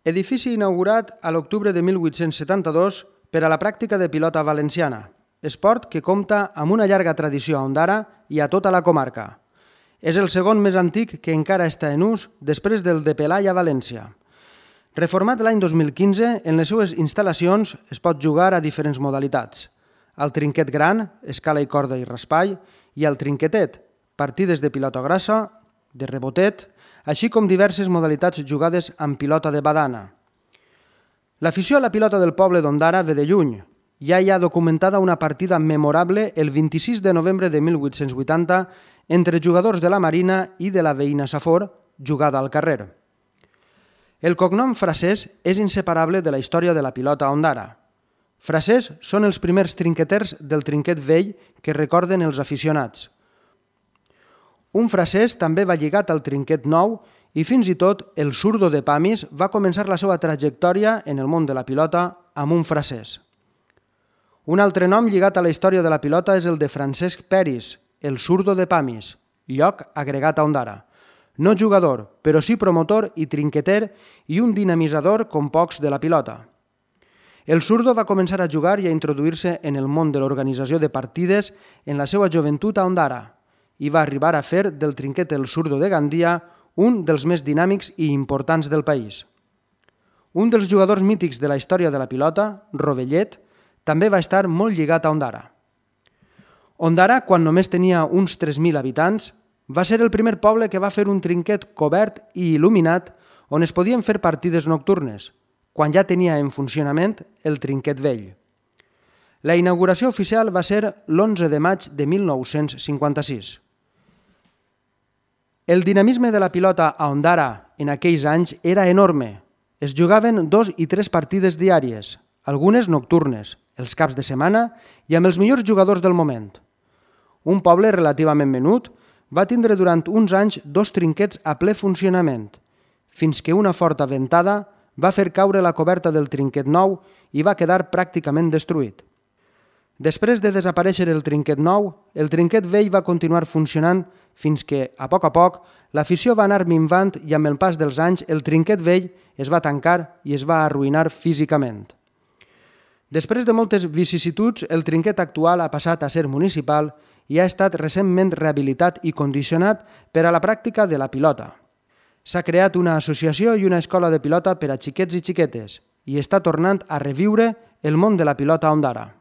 Edifici inaugurat a l'octubre de 1872 per a la pràctica de pilota valenciana, esport que compta amb una llarga tradició a Ondara i a tota la comarca. És el segon més antic que encara està en ús després del de Pelai a València. Reformat l'any 2015, en les seues instal·lacions es pot jugar a diferents modalitats. Al trinquet gran, escala i corda i raspall, i al trinquetet, partides de pilota grossa, de rebotet, així com diverses modalitats jugades amb pilota de badana. L'afició a la pilota del poble d'Ondara ve de lluny. Ja hi ha documentada una partida memorable el 26 de novembre de 1880 entre jugadors de la Marina i de la veïna Safor, jugada al carrer. El cognom Frasés és inseparable de la història de la pilota a Ondara. Frasés són els primers trinqueters del trinquet vell que recorden els aficionats. Un frasès també va lligat al trinquet nou i fins i tot el Zurdo de Pamis va començar la seva trajectòria en el món de la pilota amb un frasès. Un altre nom lligat a la història de la pilota és el de Francesc Peris, el Zurdo de Pamis, lloc agregat a Ondara. No jugador, però sí promotor i trinqueter i un dinamitzador com pocs de la pilota. El Zurdo va començar a jugar i a introduir-se en el món de l'organització de partides en la seva joventut a Ondara i va arribar a fer del trinquet el Zurdo de Gandia un dels més dinàmics i importants del país. Un dels jugadors mítics de la història de la pilota, Rovellet, també va estar molt lligat a Ondara. Ondara, quan només tenia uns 3.000 habitants, va ser el primer poble que va fer un trinquet cobert i il·luminat on es podien fer partides nocturnes, quan ja tenia en funcionament el trinquet vell. La inauguració oficial va ser l'11 de maig de 1956. El dinamisme de la pilota a Ondara en aquells anys era enorme. Es jugaven 2 i 3 partides diàries, algunes nocturnes, els caps de setmana i amb els millors jugadors del moment. Un poble relativament menut va tindre durant uns anys 2 trinquets a ple funcionament, fins que una forta ventada va fer caure la coberta del trinquet nou i va quedar pràcticament destruït. Després de desaparèixer el trinquet nou, el trinquet vell va continuar funcionant fins que, a poc, l'afició va anar minvant i amb el pas dels anys el trinquet vell es va tancar i es va arruïnar físicament. Després de moltes vicissituds, el trinquet actual ha passat a ser municipal i ha estat recentment rehabilitat i condicionat per a la pràctica de la pilota. S'ha creat una associació i una escola de pilota per a xiquets i xiquetes i està tornant a reviure el món de la pilota a Ondara.